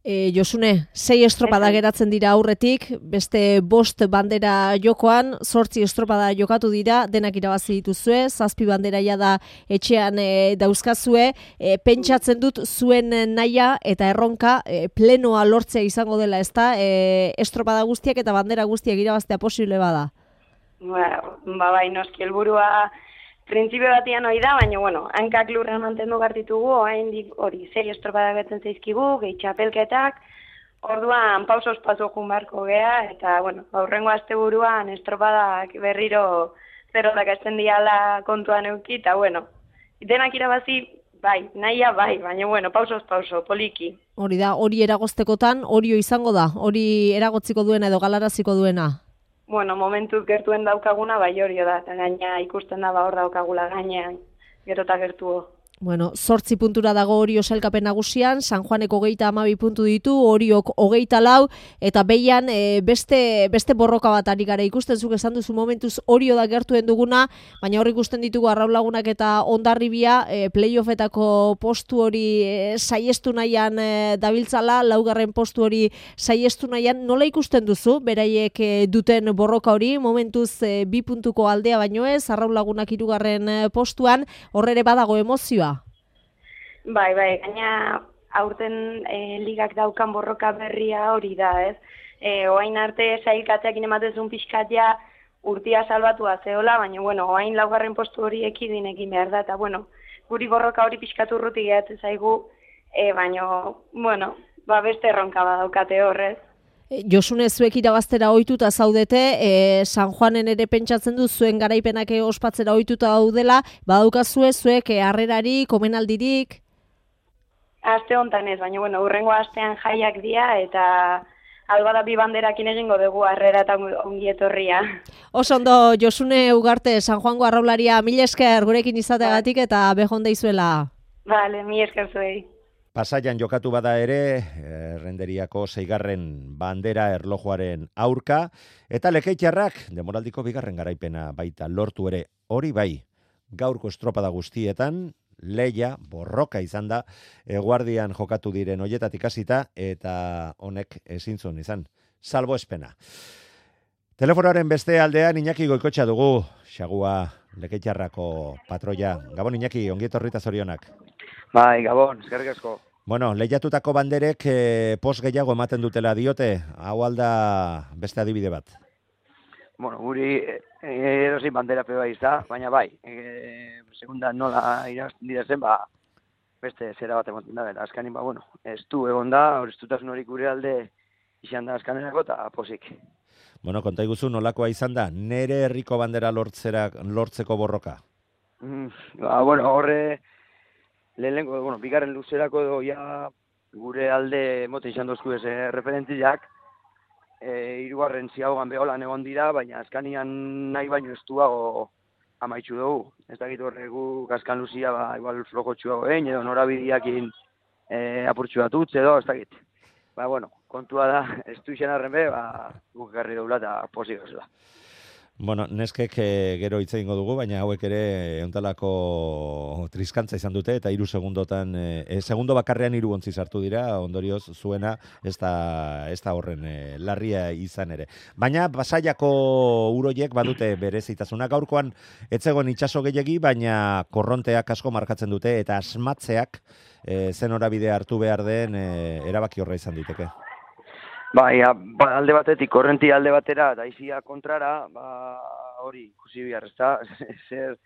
E, Josune, sei estropada geratzen dira aurretik, beste bost bandera jokoan, zortzi estropada jokatu dira, denak irabazi dituzue, zazpi bandera ja da etxean e, dauzkazue, e, pentsatzen dut zuen naia eta erronka e, plenoa lortzea izango dela, ezta? E, estropada guztiak eta bandera guztiak irabaztea posible bada. Ba, ba bai, noski helburua printzipio batian hori da, baina, bueno, hankak lurran mantendu gartitugu, oraindik hori, sei estropada betzen zaizkigu, gehi txapelketak, orduan pausos paso jun barko gea, eta, bueno, aurrengo asteburuan estropadak berriro zerotak esten diala kontuan euki, eta, bueno, denak irabazi, bai, nahia bai, baina, bueno, pausos pauso, poliki. Hori da, hori eragoztekotan, horio izango da, hori eragotziko duena edo galaraziko duena. Bueno, momentuz gertuen daukaguna bai hori da, eta gaina ikusten da ba hor daukagula gainean, gero eta gertuo. Bueno, zortzi puntura dago Orio sailkapen nagusian, San Juanek hogeita hamabi puntu ditu, Oriok hogeita lau, eta behian e, beste, beste borroka bat ari gara ikusten zuk esan duzu momentuz Orio da gertuen duguna, baina hor ikusten ditugu Arraulagunak eta Hondarribia e, playoffetako postu hori e, saiestu nahian e, dabiltzala, laugarren postu hori saiestu nahian, nola ikusten duzu, beraiek e, duten borroka hori, momentuz e, bi puntuko aldea baino ez, Arraulagunak hirugarren e, postuan, horrere badago emozioa. Bai, bai, gaina aurten e, ligak daukan borroka berria hori da, ez? E, oain arte sailkatzeakin ematezun pixkat ja urtia salbatua zeola, baina, bueno, oain laugarren postu hori ekidinekin behar da, eta, bueno, guri borroka hori pixkat urruti gehatzen zaigu, e, baina, bueno, ba beste erronka badaukate horrez. Josune, zuek irabaztera ohituta zaudete, e, San Juanen ere pentsatzen du zuen garaipenak ospatzera ohituta daudela, badaukazue zuek e, harrerarik, omenaldirik? Aste hontan ez, baina bueno, hurrengo astean jaiak dira eta albada bi banderakin egingo dugu harrera eta ongi etorria. Oso ondo, Josune Ugarte, San Juango arraularia, mila esker gurekin izateagatik eta behon deizuela. Vale, mila esker zuei. Pasaian jokatu bada ere, Errenderiako seigarren bandera erlojuaren aurka, eta Lekeitiarrak demoraldiko bigarren garaipena baita lortu ere, hori bai, gaurko estropada guztietan, leia, borroka izan da, eguardian jokatu diren hoietatik hasita eta honek ezin zuen izan, salbo espena. Telefonoaren beste aldean Iñaki Goikotxa dugu, xagua Lekeitiarrako patroia. Gabon Iñaki, ongi etorri eta zorionak. Bai, Gabon, eskerrik asko. Bueno, lehiatutako banderek eh, pos gehiago ematen dutela diote, hau alda beste adibide bat. Bueno, guri erosin bandera peba izta, baina bai, e, segunda nola irazten dira zen, ba, beste zera bat emoten da, eta azkanin, ba, bueno, ez du egon da, hor ez dutasun hori gure alde izan da azkanerako, eta posik. Bueno, konta iguzu nolakoa izan da, nere herriko bandera lortzera, lortzeko borroka? Mm, ba, bueno, horre, lehenengo, bueno, bigarren luzerako edo ja gure alde emote izan dozku ez eh, referentziak, E, irugarren ziagoan beholan egon dira, baina azkanian nahi baino ez duago amaitxu dugu. Ez dakit horregu gaskan luzia, ba, igual flojotxuago egin, edo norabidiakin e, apurtxu bat utz, edo ez dakit. Ba, bueno, kontua da, ez du izan arren be, ba, guk garri doula eta posik da. Bueno, neskek e, gero hitz egingo dugu, baina hauek ere euntalako triskantza izan dute, eta hiru segundotan, e, segundo bakarrean hiru ontzi sartu dira, ondorioz zuena ez da, ez da horren e, larria izan ere. Baina Pasaiako uroiek badute berezitasuna, gaurkoan etzegoen itsaso gehiegi, baina korronteak asko markatzen dute, eta asmatzeak e, zen horabide hartu behar den e, erabaki horra izan diteke. Bai, ba, alde batetik, korrenti alde batera, eta izia kontrara, ba, hori, ikusi bihar, ez da, zer,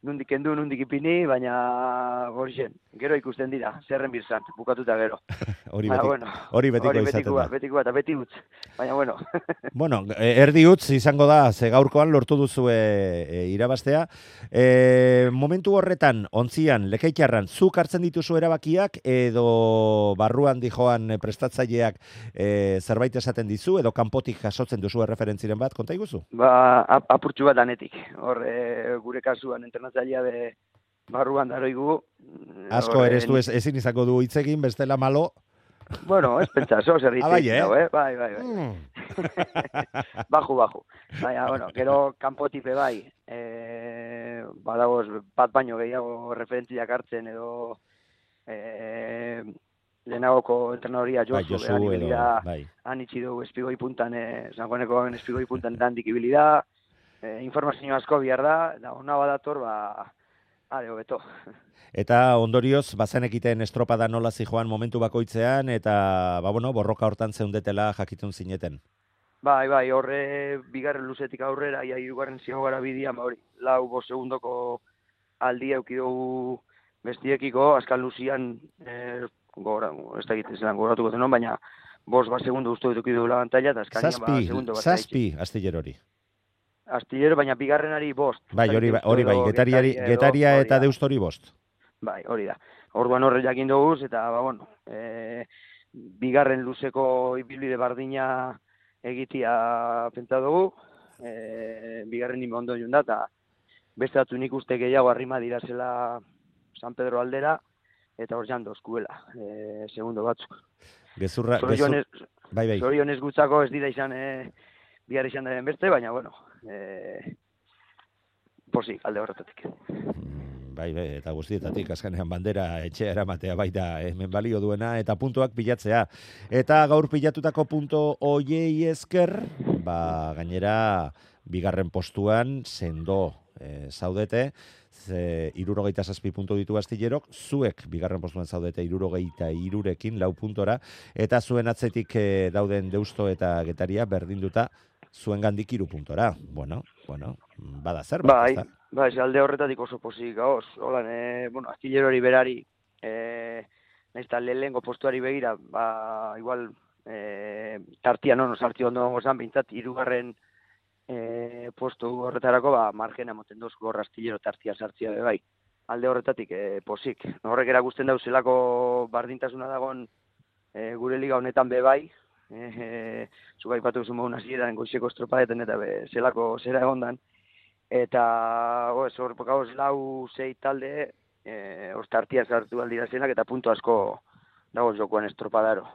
nundik endu, nundik ipini, baina hori zen, gero ikusten dira, zerren birzan, bukatuta gero. Hori betiko, bueno, hori betiko hori izaten betikua, da. Betikoa eta beti utz, baina bueno. Bueno, erdi utz izango da, ze gaurkoan lortu duzu e, e, irabaztea. E, momentu horretan, ontzian, Lekeitiarran, zuk hartzen dituzu erabakiak, edo barruan dijoan prestatzaileak e, zerbait esaten dizu, edo kanpotik jasotzen duzu erreferentziren bat, konta iguzu? Ba, ap apurtxu bat danetik, hor e, gure kasuan entrenatzailea be barruan daroigu. Asko ere ez du ez, ezin izango du hitz egin, bestela malo. Bueno, ez pentsa, zo zer ah, bai, eh? Dago, eh? Bai, bai, bai. Mm. baju, baju. Baina, bueno, gero kanpotipe bai, e, badagoz bat baino gehiago referentziak hartzen edo e, lehenagoko entrenadoria Bai, Josu, Josu han edo, ibili da, bai. han itxi dugu espigoi puntan, eh, Sanjuaneko espigoi puntan dandik ibili da, eh, informazio asko bihar da, eta ona badator, ba, are hobeto. Eta ondorioz, bazenekiten estropada nola zijoan momentu bakoitzean, eta, ba, bueno, borroka hortan zeundetela jakitun zineten. Bai, bai, horre bigarren luzetik aurrera, ia hirugarren ziago gara bidian, ba hori, lau bost segundoko aldi euki dugu bestiekiko, azkan luzian, eh, gora, ez da egiten zelan goratuko zenon, baina bost bat segundu uste dutuki dugu la pantalla, eta azkanian ba, segundo bat. Zazpi, astillero hori. Astillero, baina bigarrenari bost. Bai, hori, hori bai, getariari, getaria eta deustori bost. Bai, hori da. Orduan horre jakin duguz, eta, ba, bueno, e, bigarren luzeko ibilbide bardina egitia pentsa dugu, e, bigarren nime ondo joan da, eta beste datu nik uste gehiago arrima dira zela San Pedro aldera, eta hor jando eskuela, e, segundo batzuk. Gezurra, gezur... bai, bai. Zorionez gutzako ez dira izan, e, bihar izan den beste, baina, bueno, e, posi, alde horretatik. Bai, bai, eta guztietatik azkenean bandera etxea eramatea baita hemen balio duena eta puntuak pilatzea. Eta gaur pilatutako punto hoiei esker, ba, gainera bigarren postuan sendo e, zaudete, ze hirurogeita zazpi puntu ditu Astillerok, zuek bigarren postuan zaudete hirurogeita hirurekin lau puntora, eta zuen atzetik e, dauden Deusto eta Getaria berdinduta zuen gandik hiru puntora. Bueno, bueno, bada zer, bai, bai, bai, alde horretatik oso posik gauz. Holan, e, bueno, Astillerori berari, e, nahiz eta lehengo postuari begira, ba, igual, e, tartia, no, no, sartio ondo gongo zan, bintzat, irugarren e, postu horretarako, ba, margena moten dozko horra Astillero tartia sartzia be bai. Alde horretatik, e, posik. Horrek erakusten dauz zelako bardintasuna dagon e, gure liga honetan be bai, e, e, zuga ipatu zuen modun hasieran goizeko estropadetan eta be, zelako zera egondan. Eta, hor, gauz lau zei talde, e, ostartia sartu aldira zenak, eta puntu asko dago jokoan estropadaro.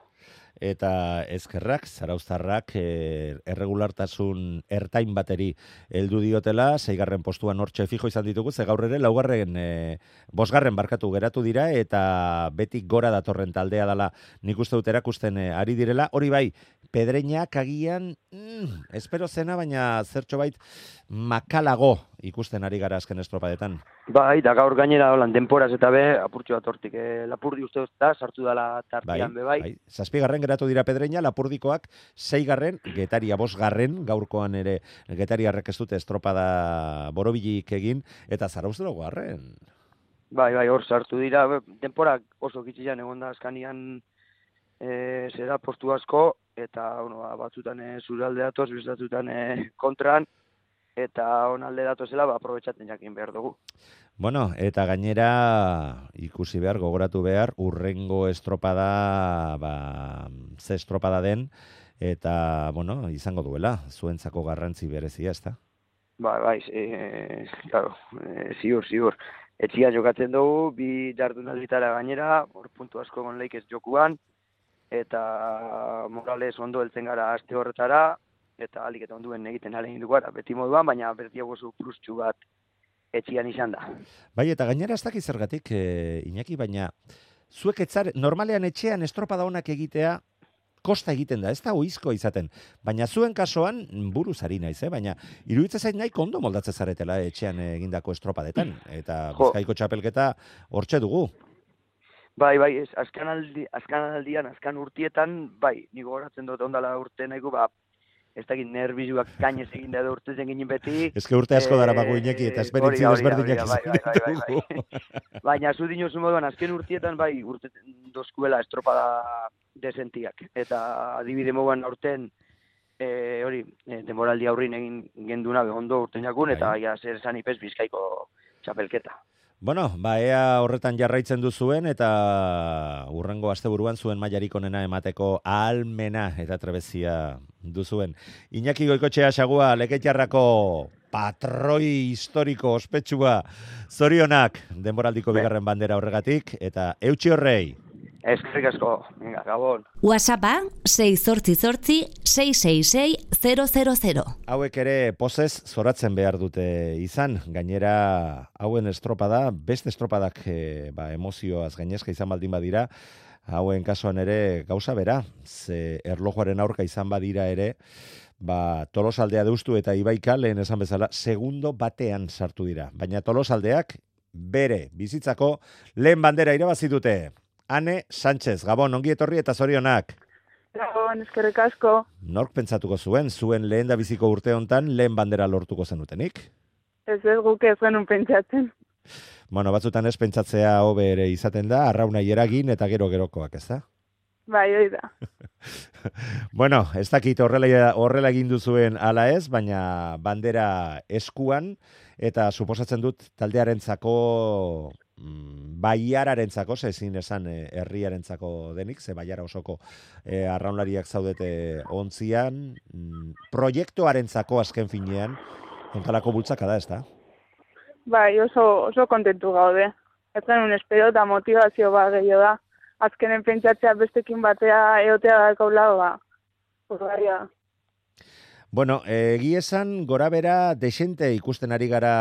Eta ezkerrak, zarauztarrak, e, erregulartasun ertain bateri heldu diotela, seigarren postuan hortxe fijo izan ditugu, ze gaur ere laugarren, e, bosgarren barkatu geratu dira, eta betik gora datorren taldea dela nik uste dut erakusten e, ari direla. Hori bai, Pedreinak agian, mm, espero zena, baina zertxo bait, makalago ikusten ari gara azken estropadetan. Bai, da gaur gainera holan denporaz eta be, apurtxo bat hortik, e, Lapurdi uste dut da, sartu dela tartian be bai. bai. Zazpigarren geratu dira Pedreina, Lapurdikoak seigarren, Getaria bosgarren, gaurkoan ere Getariarrek ez dute estropada borobilik egin, eta Zarauztaro garren. Bai, bai, hor sartu dira, denporak oso kitxian egon da azkanian e, zera postu asko, eta bueno, batzutan e, zure alde datoz, bestatutan e, kontran, eta on alde datozela, ba, aprobetxaten jakin behar dugu. Bueno, eta gainera ikusi behar, gogoratu behar, urrengo estropada, ba, ze estropada den, eta, bueno, izango duela, zuentzako garrantzi berezia, ezta? Bai, bai, e, claro, e, ziur, ziur. Etxia jokatzen dugu, bi jardunalditara gainera, hor puntu asko gon leik ez jokuan, eta Morales ondo heltzen gara aste horretara, eta alik eta onduen egiten alegin dugu gara, beti moduan, baina bertiago zu plustxu bat etxian izan da. Bai, eta gainera ez dakiz zergatik, e, Iñaki, baina zuek etzar, normalean etxean estropada honak egitea, kosta egiten da, ez da oizko izaten. Baina zuen kasoan, buruz ari naiz, eh? Baina iruditzen zait nahi kondo moldatzen zaretela etxean egindako estropadetan. Eta Bizkaiko txapelketa hortxe dugu. Bai, bai, ez, azkan, aldi, azkan aldian, azkan urtietan, bai, niko goratzen dut ondala urte nahiko, ba, ez dakit nervizuak kainez egin da urtezen ginen beti. Ez que urte asko dara bago Iñaki, eta esperientzia desberdinak izan ditugu. Baina zu dinozu moduan, azken urtietan, bai, urte dozkuela estropada desentiak. Eta adibide moduan aurten, e, hori, e, denboraldi aurrin egin genduna behondo urten jakun, eta ja, zer esan ipez Bizkaiko txapelketa. Bueno, ba, ea horretan jarraitzen duzuen eta urrengo asteburuan zuen mailarik onena emateko ahalmena eta trebezia duzuen. Iñaki Goikoetxea Xagua, Lekeitarrako patroi historiko ospetsua, zorionak denboraldiko bigarren bandera horregatik, eta eutxi horrei. Eskerrik asko, venga, gabon. WhatsAppa sei zortzi zortzi sei sei sei zero zero zero. Hauek ere pozez zoratzen behar dute izan, gainera hauen estropada, beste estropadak e, ba, emozioaz gainezka izan baldin badira, hauen kasuan ere gauza bera, ze erlojuaren aurka izan badira ere, ba, Tolosaldea deustu eta Ibaika lehen esan bezala, segundo batean sartu dira. Baina Tolosaldeak bere bizitzako lehen bandera irabazi dute. Ane Sánchez, Gabon, ongi etorri eta zorionak. Gabon, eskerrik asko. Nork pentsatuko zuen, zuen lehen da biziko urte hontan lehen bandera lortuko zenutenik? Ez ez guk ez genuen pentsatzen. Bueno, batzutan ez pentsatzea hobe ere izaten da, arraunai eragin eta gero gerokoak, ez da? Bai, hoi da. Bueno, ez dakit horrela, horrela egin duzuen ala ez, baina bandera eskuan, eta suposatzen dut taldearentzako, mm, baiararentzako, ze ezin esan eh, herriarentzako denik, ze baiara osoko eh, arraunlariak zaudete ontzian, mm, proiektuarentzako azken finean, ontalako bultzaka da, ez da? Bai, oso, oso kontentu gaude. Ez genuen espero eta motivazio bat gehiago da. Azkenen pentsatzea bestekin batea eotea dakaula, ba, urgarria. Bueno, egi esan gora bera desente ikusten ari gara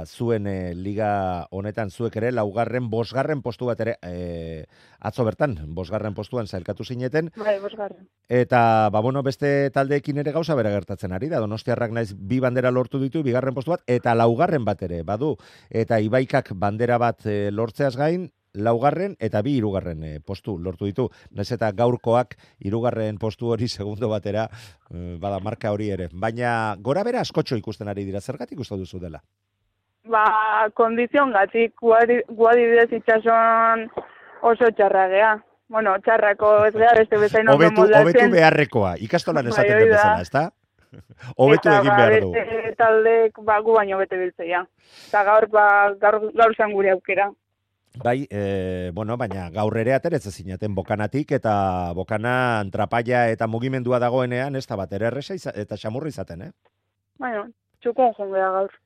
zuen e, liga honetan zuek ere laugarren, bosgarren postu bat ere e, atzo bertan, bosgarren postuan zailkatu zineten. Bai, bosgarren. Eta, ba, bueno, beste taldeekin ere gauza bera gertatzen ari da. Donostiarrak naiz bi bandera lortu ditu, bigarren postu bat, eta laugarren bat ere, badu. Eta Ibaikak bandera bat e, lortzeaz gain, laugarren eta bi hirugarren e, postu lortu ditu. Naiz eta gaurkoak hirugarren postu hori segundo batera e, bada marka hori ere. Baina gora bera askotxo ikusten ari dira, zergatik uste duzu dela? Ba, kondizion gatik, guadibidez itxason oso txarragea. Bueno, txarrako ez geha beste bezain ondo moldatzen. Obetu beharrekoa, ikastolan esaten den bezala, ez da? Obetu egin behar du. Eta beste taldek ba, gu baino bete biltzea. Eta gaur, ba, gaur, gaur zan gure aukera. Bai, e, bueno, baina gaur ere ateretze zinaten bokanatik, eta bokana trapaia eta mugimendua dagoenean, ez da bat ere erresa eta xamurri izaten, eh? Bueno, txukon jongea gaur.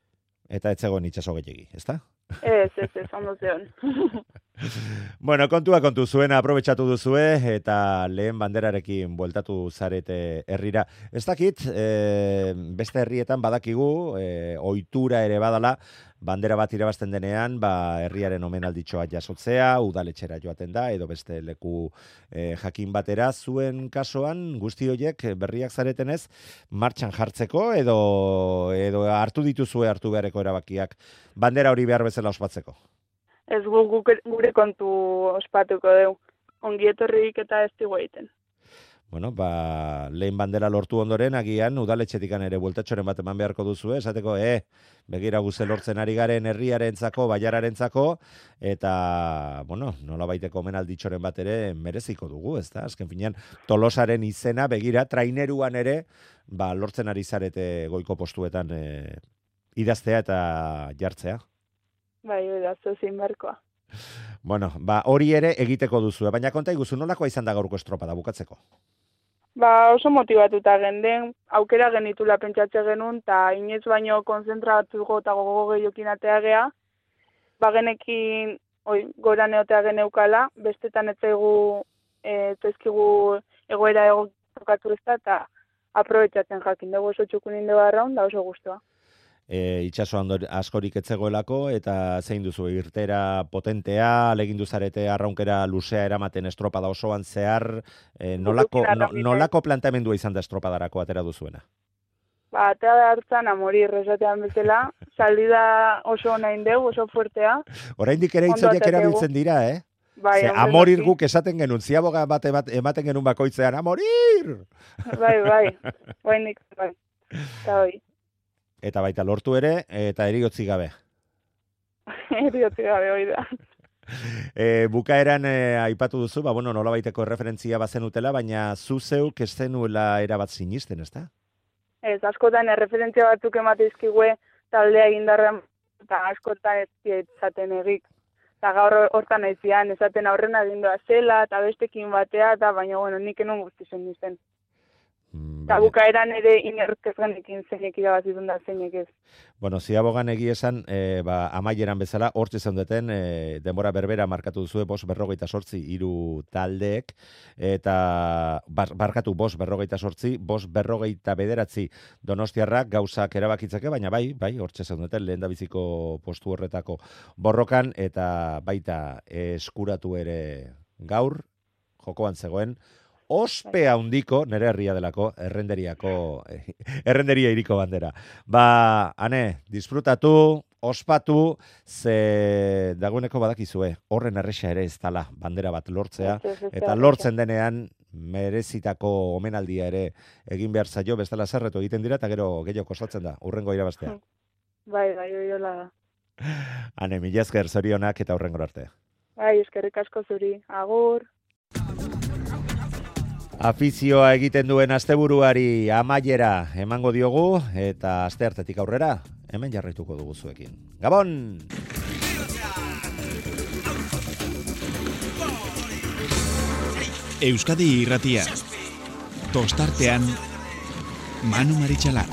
Eta ez zegoen itxaso gehiagi, ez da? Ez, ez, ez, ondo zeon. Bueno, kontua kontu zuena aprobetxatu duzue, eta lehen banderarekin bueltatu zarete herrira. Ez dakit, e, beste herrietan badakigu, e, ohitura ere badala, bandera bat irabazten denean, ba, herriaren omenalditxoa jasotzea, udaletxera joaten da, edo beste leku e, jakin batera, zuen kasoan, guzti horiek berriak zaretenez, martxan jartzeko, edo, edo hartu dituzue hartu beharreko erabakiak, bandera hori behar bezala ospatzeko? Ez gu, gu, gure kontu ospatuko dugu. Ongi etorrik eta ez digu egiten. Bueno, ba, lehen bandera lortu ondoren, agian, udaletxetikan ere bueltatxoren bat eman beharko duzu, esateko, eh, begira guze lortzen ari garen herriarentzako, baiararentzako, eta, bueno, nola baiteko omenalditxoren bat ere mereziko dugu, ez da? Azken finean, Tolosaren izena, begira, traineruan ere, ba, lortzen ari zarete goiko postuetan e, idaztea eta jartzea. Bai, idaztu zin barkoa. Bueno, ba, hori ere egiteko duzu, baina konta iguzu, nolakoa izan da gaurko estropada bukatzeko? Ba, oso motibatuta genden, aukera genitula pentsatze genuen, eta inoiz baino konzentratuko eta gogo gehiokin atea gea, ba genekin, oi, gora neotea geneukala, bestetan ez zaigu, ez ezkigu egoera egokatu ez da, eta aprobetxatzen jakin dugu oso txukunin dugu arraun, da oso guztua. E, itxaso askorik etzegoelako, eta zein duzu, irtera potentea, alegin duzarete arraunkera luzea eramaten estropada osoan zehar, e, nolako, no, nolako planteamendua izan da estropadarako atera duzuena? Ba, atera da hartzan amorir esatean bezala, salida oso nahin deu, oso fuertea. Oraindik ere hitzoiak erabiltzen dira, eh? Bai, Ze, amorir guk esaten genuen, ziaboga bat ematen genuen bakoitzean, amorir! Bai, bai, bai nik, bai, eta hoi. Eta baita lortu ere, eta eriotzi gabe. Eriotzi gabe, hoi da. E, bukaeran e, aipatu duzu, ba, bueno, nola baiteko referentzia bazenutela, baina zu zeuk ez zenuela erabat sinisten, ez da? Ez, askotan erreferentzia batzuk emateizkigue taldea egindarra, eta askotan ez zaten egik. Eta gaur hortan aizian, esaten aurrena egindoa zela, eta bestekin batea, eta baina, bueno, nik enun guztizen nizten. Eta bukaeran ere inerk ez genekin zeinek irabazitun da zeinek ez. Bueno, ziabogan egi esan, e, ba, amaieran bezala, hortzi zeundeten, e, denbora berbera markatu duzue, bos berrogeita sortzi hiru taldeek, eta bar, barkatu bos berrogeita sortzi, bos berrogeita bederatzi donostiarrak gauzak erabakitzeke, baina bai, bai, hortzi zeundeten, lehen da biziko postu horretako borrokan, eta baita eskuratu ere gaur, jokoan zegoen, ospe handiko, nere herria delako, errenderiako, errenderia iriko bandera. Ba, ane, disfrutatu, ospatu, ze dagoeneko badakizue, horren erresa ere ez dala bandera bat lortzea, eta lortzen denean merezitako omenaldia ere egin behar zaio, bestela zerretu egiten dira, eta gero gehiago kostatzen da, urrengo irabaztea. Bai, bai, oiola da. Ane, mila esker zorionak eta urrengo arte. Bai, eskerrik asko zuri. Agur. Afizioa egiten duen asteburuari amaiera emango diogu eta asteartetik aurrera hemen jarraituko dugu zuekin. Gabon! Euskadi Irratia. Tostartean Manu Maritxalar.